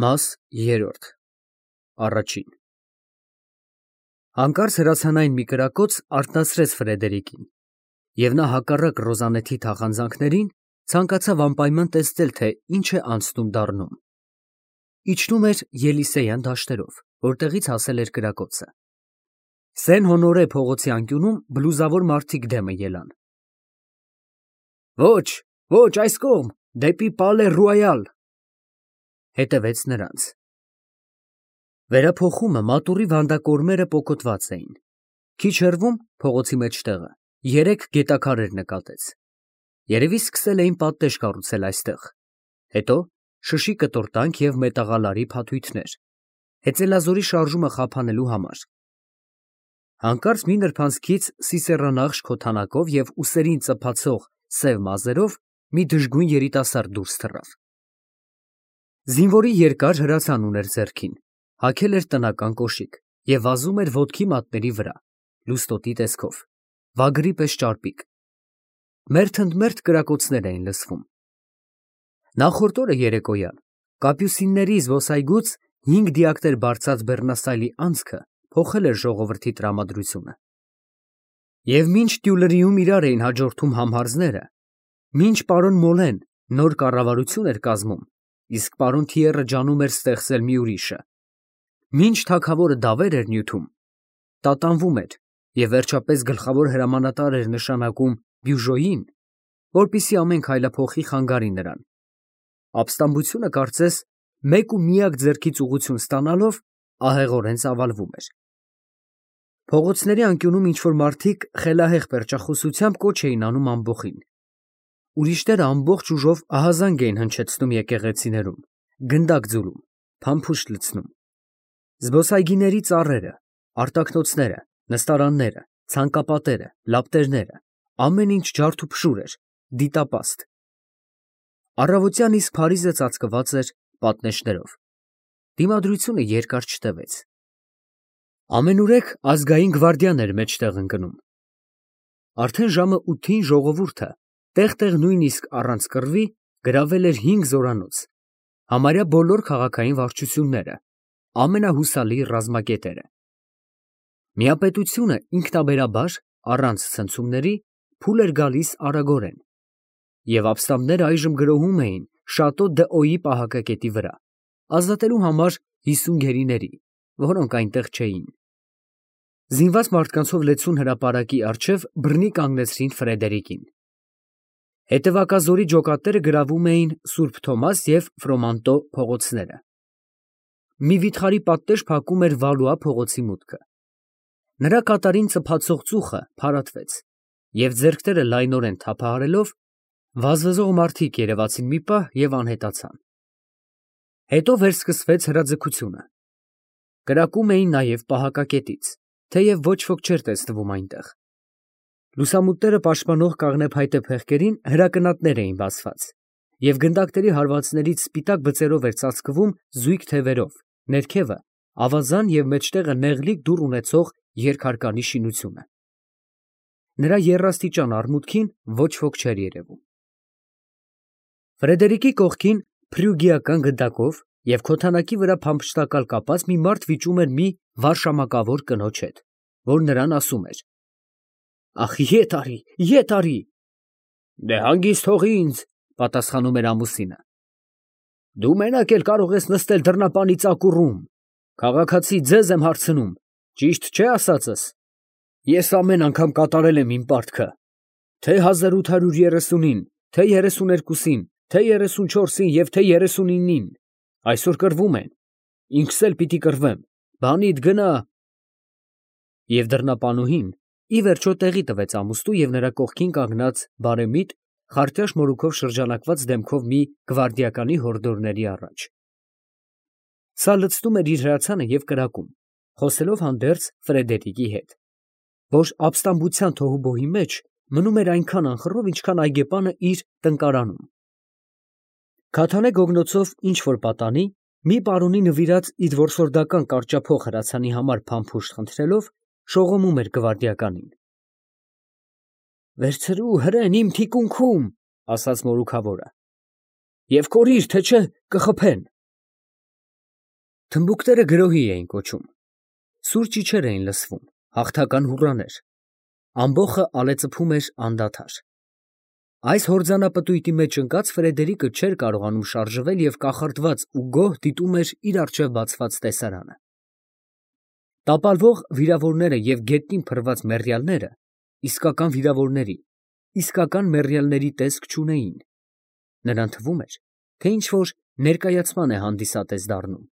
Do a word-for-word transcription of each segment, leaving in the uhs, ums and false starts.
Մաս երրորդ Առաջին Հանկարծ հրացանային մի կրակոց արթնացրեց Ֆրեդերիկին, և նա հակառակ Ռոզանեթի թախանձանքներին ցանկացավ անպայման տեսնել, թե ինչ է անցնում դառնում. իջնում էր Ելիսեյան դաշտերով, որտեղից հասել էր կրակոցը։ Սեն֊Հոնորե փողոցի անկյունում բլուզավոր մարդիկ դեմը ելան։ Ոչ, ոչ, այս կողմ, դեպի Պալե Ռոյալ, հետևեց նրանց։ Վերափոխումը մատուռի վանդակորմերը պոկոտված էին։ Քիչ հեռվում, փողոցի մեջտեղը, երեք գետաքարեր նկատեց։ Երևի սկսել էին պատնեշ կառուցել այստեղ, հետո շշի կտորտանք և մետաղալարի փաթույթներ, հեծելազորի շարժումը խափանելու համար։ Հանկարծ մի նրբանցքից սիսեռանախշ քոթանակով և ուսերին ծփացող սև մազերով մի դժգույն երիտասարդ դուրս թռավ։ Զինվորի երկար հրացան ուներ ձեռքին, հագել էր տնական կոշիկ և վազում էր ոտքի մատների վրա, լուստոտի տեսքով, վագրի պես ճարպիկ։ Մերթընդմերթ կրակոցներ էին լսվում։ Նախորդ օրը երեկոյան կապյուսինների զբոսայգուց հինգ դիակներ բարձած բեռնաստայլի անցքը փոխել էր ժողովրդի տրամադրությունը։ Եվ մինչ Տյուլերիում իրար էին հաջորդում համհարձները, մինչ պարոն Մոլեն նոր կառավարություն էր կազմում, իսկ պարոն Թիեռը ջանում էր ստեղծել մի ուրիշը, մինչ թագավորը դավեր էր նյութում, տատանվում էր և վերջապես գլխավոր հրամանատար էր նշանակում Բյուժոյին, որպեսզի ամեն քայլափոխի խանգարի նրան, ապստամբությունը կարծես մեկ ու միակ ձեռքից ուղղություն ստանալով ահեղորեն ծավալվում էր։ Փողոցների անկյունում ինչ֊որ մարդիկ խելահեղ պերճախոսությամբ կոչ էին անում ամբոխին։ Ուրիշները ամբողջ ուժով ահազանգ էին հնչեցնում եկեղեցիներում, գնդակ ձուլում, փամփուշտ լցնում։ Զբոսայգիների ծառերը, արտակնոցները, նստարանները, ցանկապատերը, լապտերները, ամեն ինչ ջարդուփշուր էր, դիտապաստ։ Առավոտյան իսկ Փարիզը ծածկված էր պատնեշներով։ Դիմադրությունը երկար չտևեց։ Ամենուրեք ազգային գվարդիան էր մեջտեղ ընկնում։ Արդեն ժամը ութին ժողովուրդը տեղ֊տեղ նույնիսկ առանց կռվի գրավել էր հինգ զորանոց, համարյա բոլոր քաղաքային վարչությունները, ամենահուսալի ռազմակետերը։ Միապետությունը ինքնաբերաբար, առանց ցնցումների, փուլ էր գալիս արագորեն, և ապստամբները այժմ գրոհում էին Շատո դ'Օյի պահակակետի վրա, ազատելու համար հիսուն գերիների, որոնք այնտեղ չէին։ Զինված մարդկանցով լեցուն հրապարակի առջև բռնի կանգնեցրին Ֆրեդերիկին։ Հետևակազորի ջոկատները գրավում էին Սուրբ Թոմաս և Ֆրոմանտո փողոցները։ Մի վիթխարի պատնեշ փակում էր Վալուա փողոցի մուտքը։ Նրա կատարին ծփացող ծուխը փարատվեց, և ձեռքները լայնորեն թափահարելով, վազվզող մարդիկ երևացին մի պահ և անհետացան։ Հետո վերսկսվեց հրաձգությունը։ Կրակում էին նաև պահակակետից, թեև ոչ ոք չէր տեսնվում այնտեղ։ Լուսամուտները պաշտպանող կաղնեփայտե փեղկերին հրակնատներ էին բացված, և գնդակների հարվածներից սպիտակ բծերով էր ծածկվում զույգ թևերով, ներքևը ավազան և մեջտեղը նեղլիկ դուռ ունեցող երկհարկանի շինությունը։ Նրա եռաստիճան արմունկին ոչ ոք չէր երևում։ Ֆրեդերիկի կողքին փրյուգիական գնդակով և քոթանակի վրա փամփշտակալ կապած մի մարդ վիճում էր մի վարշամակավոր կնոջ հետ, որ նրան ասում էր. «Ախ, ետ արի, ետ արի»։ «Դե հանգիստ թող ինձ», պատասխանում էր ամուսինը։ «Դու մենակ էլ կարող ես նստել դռնապանի ծակուռում, քաղաքացի, ձեզ եմ հարցնում, ճիշտ չէ՞ ասածս։ Ես ամեն անգամ կատարել եմ իմ պարտքը, թե հազար ութ հարյուր երեսունին, թե երեսուներկուսին, թե երեսունչորսին և թե երեսունինին, այսօր կռվում են, ինքս էլ պիտի կռվեմ, բանիդ գնա»։ Եվ դռնապանուհին ի վերջո տեղի տվեց ամուսնու և նրա կողքին կանգնած բարեմիտ, խարտյաշ մորուքով շրջանակված դեմքով մի գվարդիականի հորդորների առաջ։ Սա լցնում էր իր հրացանը և կրակում, խոսելով հանդերձ Ֆրեդերիկի հետ, որ ապստամբության թոհուբոհի մեջ մնում էր այնքան անխռով, ինչքան այգեպանը իր տնկարանում։ Քաթանե գոգնոցով ինչ֊որ պատանի, մի պարոնի նվիրած իր որսորդական կարճափող հրացանի համար փամփուշտ խնդրելով, շողոմում էր գվարդիականին։ «Վերցրու հրեն իմ թիկունքում», ասաց մորուքավորը, «և կորիր, թե չէ կխփեն»։ Թմբուկները գրոհի էին կոչում, սուր ճիչեր էին լսվում, հաղթական հուռաներ, ամբոխը ալեծփում էր անդադար։ Այս հորձանապտույտի մեջ ընկած Ֆրեդերիկը չէր կարողանում շարժվել և կախարդված ու գոհ դիտում էր իր առջև բացված տեսարանը։ Տապալվող վիրավորները և գետնին փռված մեռյալները իսկական վիրավորների, իսկական մեռյալների տեսք չունեին. նրան թվում էր, թե ինչ֊որ ներկայացման է հանդիսատես դառնում։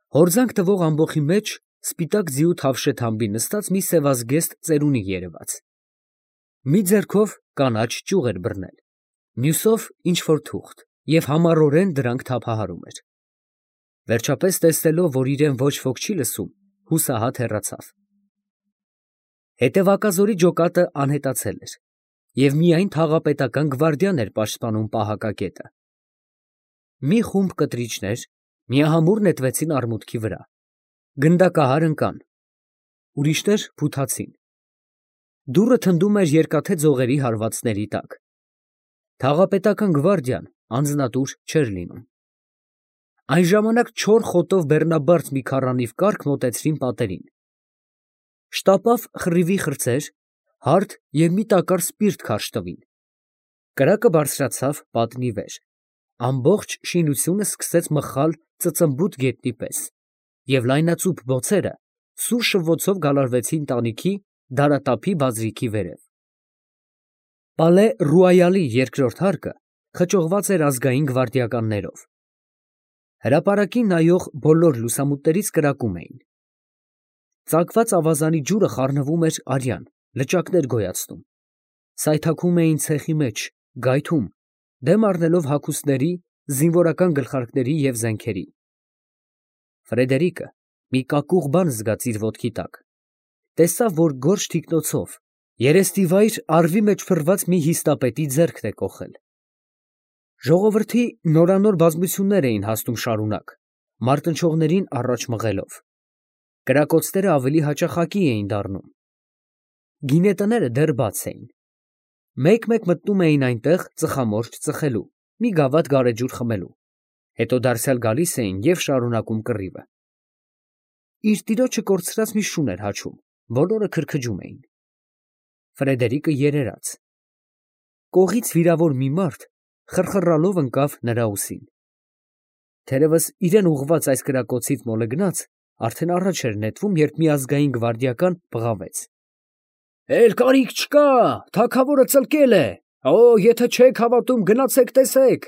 Հորձանք տվող ամբոխի մեջ սպիտակ ձիու թավշեթամբի նստած մի սևազգեստ ծերունի երևաց։ Մի ձեռքով կանաչ ճյուղ էր բռնել, մյուսով ինչ֊որ թուղթ և համառորեն դրանք թափահարում էր։ Վերջապես տեսնելով, որ իրեն ոչ ոք չի լսում, հուսահատ հեռացավ։ Հետևակազորի ջոկատը անհետացել էր, և միայն թաղապետական գվարդիան էր պաշտպանում պահակակետը։ Մի խումբ կտրիչներ միահամուռ նետվեցին արմուտքի վրա, գնդակահար ընկան, ուրիշներ փութացին։ Դուռը թնդում էր երկաթե ձողերի հարվածների տակ։ Թաղապետական գվարդիան անձնատուր չէր լինում։ Այն ժամանակ չոր խոտով բեռնաբարդ մի քառանիվ կառք մոտեցրին պատերին։ Շտապավ խռիվի խրձեր, հարթ և մի տակառ սպիրտ քարշ տվին։ Կրակը բարձրացավ պատնի վեր, ամբողջ շինությունը սկսեց մխալ ծծմբուտ գետնի պես, և լայնածուփ բոցերը սուր շվոցով գալարվեցին տանիքի դարատափի բազրիքի վերև։ Պալե Ռուայալի երկրորդ հարկը խճողված էր ազգային գվարդիականներով։ Հրապարակին նայող բոլոր լուսամուտներից կրակում էին։ Ծակված ավազանի ջուրը խառնվում էր արյան, լճակներ գոյացնում։ Սայթաքում էին ցեխի մեջ, գայթում, դեմ առնելով հագուստների, զինվորական գլխարկների և զենքերի։ Ֆրեդերիկը մի կակուղ բան զգաց իր ոտքի տակ, տեսավ, որ գորշ թիկնոցով, երեստիվայր առվի մեջ փռված մի հիստապետի ձեռքն է կոխել։ Ժողովրդի նորանոր բազմություններ էին հասնում շարունակ, մարտնչողներին առաջ մղելով։ Կրակոցները ավելի հաճախակի էին դառնում։ Գինետները դեռ բաց էին։ Մեկ֊մեկ մտնում էին այնտեղ ծխամորճ ծխելու, մի գավաթ գարեջուր խմելու, հետո դարձյալ գալիս էին և շարունակում կռիվը։ Իր տիրոջը կորցրած մի շուն էր հաչում, բոլորը քրքջում էին։ Ֆրեդերիկը երերաց։ Կողից վիրավոր մի մարդ խռխռալով ընկավ նրա ուսին։ Թերևս իրան ուղղված այս կրակոցից մոլեգնած արդեն առաջ էր նետվում, երբ մի ազգային գվարդիական բղավեց. «Էլ կարիք չկա, թագավորը ծլկել է, օ, եթե չեք հավատում, գնացեք տեսեք»։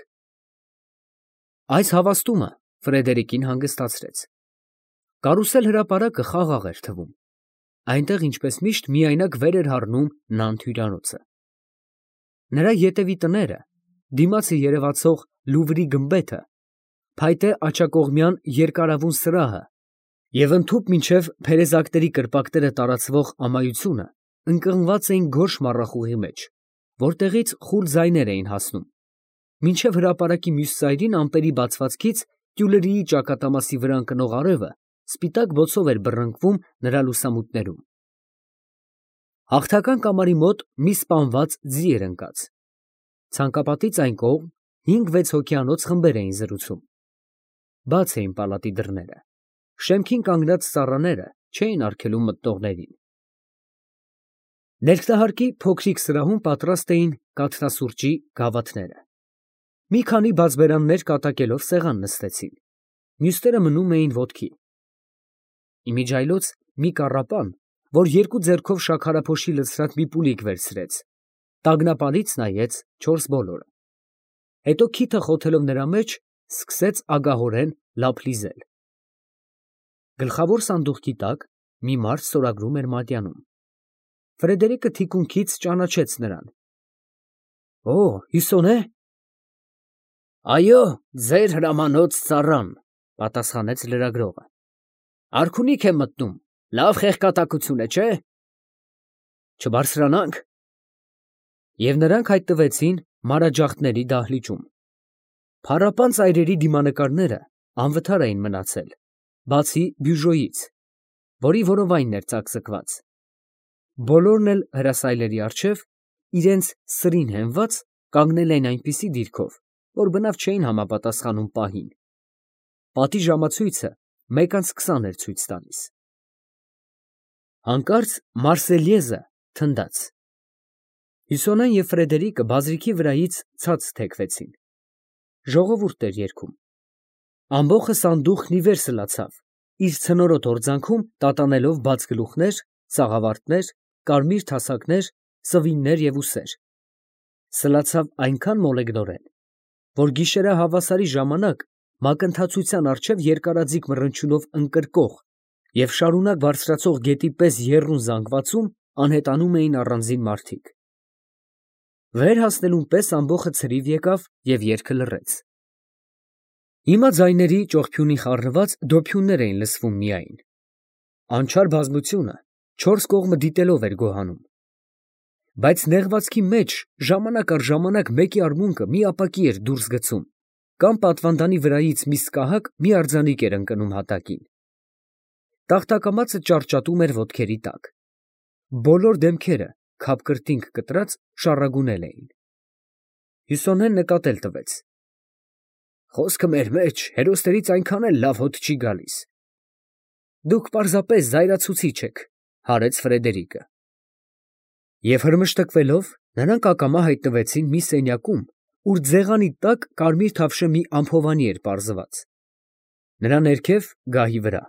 Այս հավաստումը Ֆրեդերիկին հանգստացրեց։ Կարուսել հրապարակը խաղաղ էր թվում։ Այնտեղ, ինչպես միշտ, միայնակ վեր էր հառնում Նանտ հյուրանոցը։ Նրա ետևի տները, դիմացը երևացող Լուվրի գմբեթը, փայտե աջակողմյան երկարավուն սրահը և ընդհուպ մինչև փերեզակների կրպակները տարածվող ամայությունը ընկղմված էին գորշ մառախուղի մեջ, որտեղից խուլ ձայներ էին հասնում, մինչև հրապարակի մյուս ծայրին ամպերի բացվածքից տյուլերիի ճակատամասի վրա ընկնող արևը սպիտակ բոցով էր բռնկվում նրա լուսամուտներում։ Հաղթական կամարի մոտ մի սպանված ձի էր ընկած։ Ցանկապատից այն կողմ հինգ֊վեց հոգյանոց խմբեր էին զրուցում։ Բաց էին պալատի դռները, շեմքին կանգնած ծառաները չէին արգելում մտնողներին։ Ներքնահարկի փոքրիկ սրահում պատրաստ էին կաթնասուրճի գավաթները։ Մի քանի բաց բերաններ կատակելով սեղան նստեցին, մյուսները մնում էին ոտքի։ Իմիջիայլոց մի կառապան, որ երկու ձեռքով շաքարափոշի լցրած մի պուլիկ վերցրեց, տագնապալից նայեց չորս բոլորը, հետո քիթը խոթելով նրա մեջ, սկսեց ագահորեն լափ լիզել։ Գլխավոր սանդուղքի տակ մի մարդ ստորագրում էր մատյանում։ Ֆրեդերիկը թիկունքից ճանաչեց նրան։ Օ, Հյուսոն է։ Այո, ձեր հրամանոց ծառան, պատասխանեց լրագրողը։ Արքունիք է մտնում, լավ խեղկատակություն է, չէ՞։ Չբարձրանանք։ Եվ նրանք հայտնվեցին մանրաջախտների դահլիճում։ Փառապան ծայրերի դիմանկարները անվթար էին մնացել, բացի բյուժոյից, որի որովայնն էր ծակծկված։ Բոլորն էլ հրասայլերի առջև, իրենց սրին հենված, կանգնել էին այնպիսի դիրքով, որ բնավ չէին համապատասխանում պահին։ պատի ժամացույցը մեկ անց քսան էր ցույց տալիս։ Հանկարծ Մարսելյեզը թնդաց։ Հյուսոնեն և Ֆրեդերիկը բազրիքի վրայից ցած թեքվեցին։ Ժողովուրդ էր երգում։ Ամբոխը սանդուղքն ի վեր սլացավ, իր ցնորոտ հորձանքում տատանելով բաց գլուխներ, սաղավարտներ, կարմիր թասակներ, սվիններ և ուսեր։ Սլացավ այնքան մոլեգնորեն, որ գիշերահավասարի ժամանակ մակընթացության առջև երկարաձիգ մռնչյունով ընկրկող և շարունակ բարձրացող գետի պես եռուն զանգվածում անհետանում էին առանձին մարդիկ։ Վեր հասնելուն պես ամբոխը ցրիվ եկավ և երգը լռեց։ Հիմա ձայների ճողփյունի խառնված դոփյուններ էին լսվում միայն։ Անչափ բազմությունը չորս կողմը դիտելով էր գոհանում։ Բայց նեղվածքի մեջ ժամանակ առ ժամանակ մեկի արմունկը մի ապակի էր դուրս գցում, կամ պատվանդանի վրայից մի սկահակ մի արձանիկ էր ընկնում հատակին։ Տախտակամածը ճարճատում էր ոտքերի տակ։ Բոլոր դեմքերը քապկրտինք կտրած շառագունել էին։ Հյուսոնեն նկատել տվեց. խոսքը մեր մեջ հերոսներից այնքան էլ լավ հոտ չի գալիս։ Դուք պարզապես զայրացուցիչ եք, հարեց Ֆրեդերիկը։ Եվ հրմշտկվելով նրանք ակամա հայտնվեցին մի սենյակում, ուր ձեղանի տակ կարմիր թավշե մի ամփովանի էր պարզված։ Նրա ներքև գահի վրա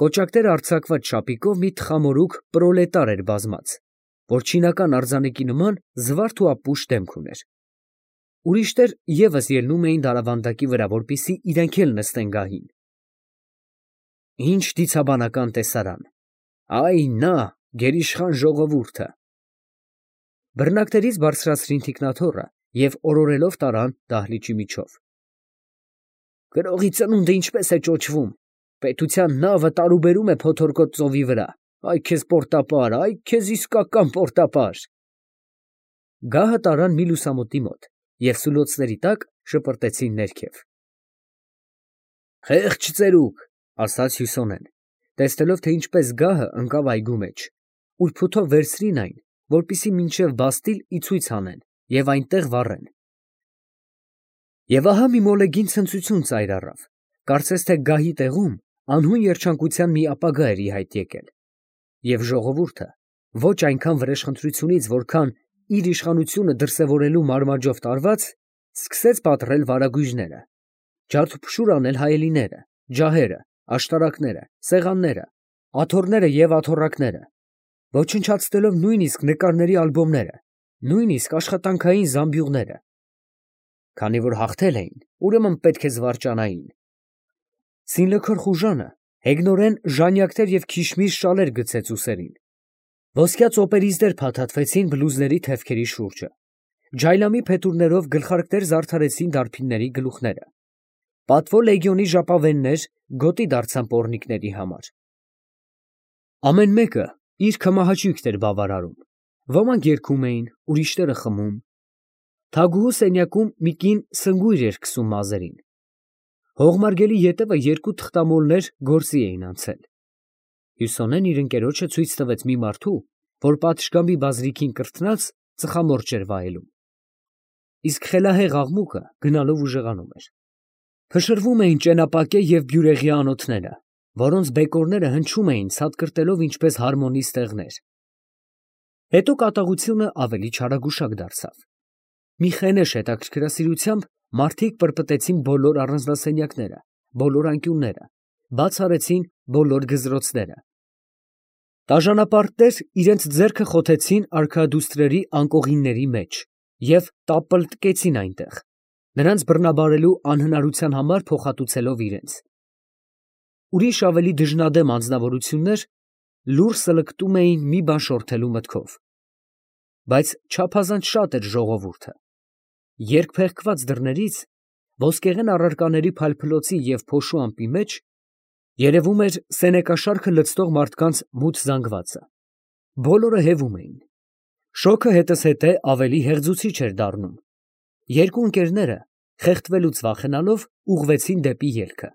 կոճակներ արձակված շապիկով մի թխամորուք պրոլետար էր բազմած, որ չինական արձանիկի նման զվարթ ու ապուշ դեմք ուներ։ Ուրիշներ ևս ելնում էին դարավանդակի վրա, որպեսզի իրենք էլ նստեն գահին։ Ինչ դիցաբանական տեսարան, այ նա գերիշխան ժողովուրդը։ Բռնակներից բարձրացրին թիկնաթոռը և օրորելով տարան դահլիճի միջով։ Գրողի ծնունդը ինչպես է ճոճվում, պետության նավը տարուբերում է փոթորկոտ ծովի վրա, այ քեզ պորտապար, այ քեզ իսկական պորտապար։ Գահը տարան մի լուսամուտի մոտ և սուլոցների տակ շպրտեցին ներքև։ Խեղճ ծերուկ, ասաց Հյուսոնեն, տեսնելով, թե ինչպես գահը ընկավ այգու մեջ, ուր փութով վերցրին այն, որպեսզի մինչև բաստիլ ի ցույց հանեն և այնտեղ վառեն։ Եվ ահա մի մոլեգին ցնծություն ծայր առավ, կարծես թե գահի տեղում անհուն երջանկության մի ապագա էր ի հայտ եկել, և ժողովուրդը ոչ այնքան վրեժխնդրությունից, որքան իր իշխանությունը դրսևորելու մարմաջով տարված, սկսեց պատռել վարագույրները, ջարդուփշուր անել հայելիները, ջահերը, աշտարակները, սեղանները, աթոռները և աթոռակները, ոչնչացնելով նույնիսկ նկարների ալբոմները, նույնիսկ աշխատանքային զամբյուղները։ Քանի որ հաղթել էին, ուրեմն պետք է զվարճանային։ Սինլքոր խուժանը հեգնորեն ժանյակներ և քիշմիշ շալեր գցեց ուսերին։ Ոսկյա ծոպերիզներ փաթաթվեցին բլուզների թևքերի շուրջը։ Ջայլամի փետուրներով գլխարկներ զարդարեցին դարբինների գլուխները։ Պատվո լեգիոնի ժապավեններ գոտի դարձան պոռնիկների համար։ Ամեն մեկը իր քմահաճույքն էր բավարարում։ Ոմանք երգում էին, ուրիշները խմում։ Թագուհու սենյակում մի կին սնգույր էր քսում մազերին։ Հողմարգելի ետևը երկու թղթամոլներ գործի էին անցել։ Հյուսոնեն իր ընկերոջը ցույց տվեց մի մարդու, որ պատշգամբի բազրիքին կրթնած ծխամորճ էր վայելում։ Իսկ խելահեղ աղմուկը գնալով ուժեղանում էր։ Փշրվում էին ճենապակե և բյուրեղյա անոթները, որոնց բեկորները հնչում էին ցատկրտելով ինչպես հարմոնի ստեղներ։ Հետո կատաղությունը ավելի չարագուշակ դարձավ։ Մի խենեշ հետաքրքրասիրությամբ մարդիկ պրպտեցին բոլոր առանձնասենյակները, բոլոր անկյունները, բաց արեցին բոլոր գզրոցները։ Տաժանապարտներ իրենց ձեռքը խոթեցին արքայադուստրերի անկողինների մեջ և տապլտկեցին այնտեղ, նրանց բռնաբարելու անհնարության համար փոխհատուցելով իրենց։ Ուրիշ ավելի դժնադեմ անձնավորություններ լուռ սլկտում էին մի բան շորթելու մտքով։ Բայց չափազանց շատ էր ժողովուրդը։ Երկփեղկված դռներից, ոսկեղեն առարկաների փայլփլոցի և փոշու ամպի մեջ երևում էր սենեկաշարքը լցնող մարդկանց մութ զանգվածը։ Բոլորը հևում էին։ Շոգը հետզհետե ավելի հեղձուցիչ էր դառնում։ Երկու ընկերները, խեղդվելուց վախենալով, ուղղվեցին դեպի ելքը։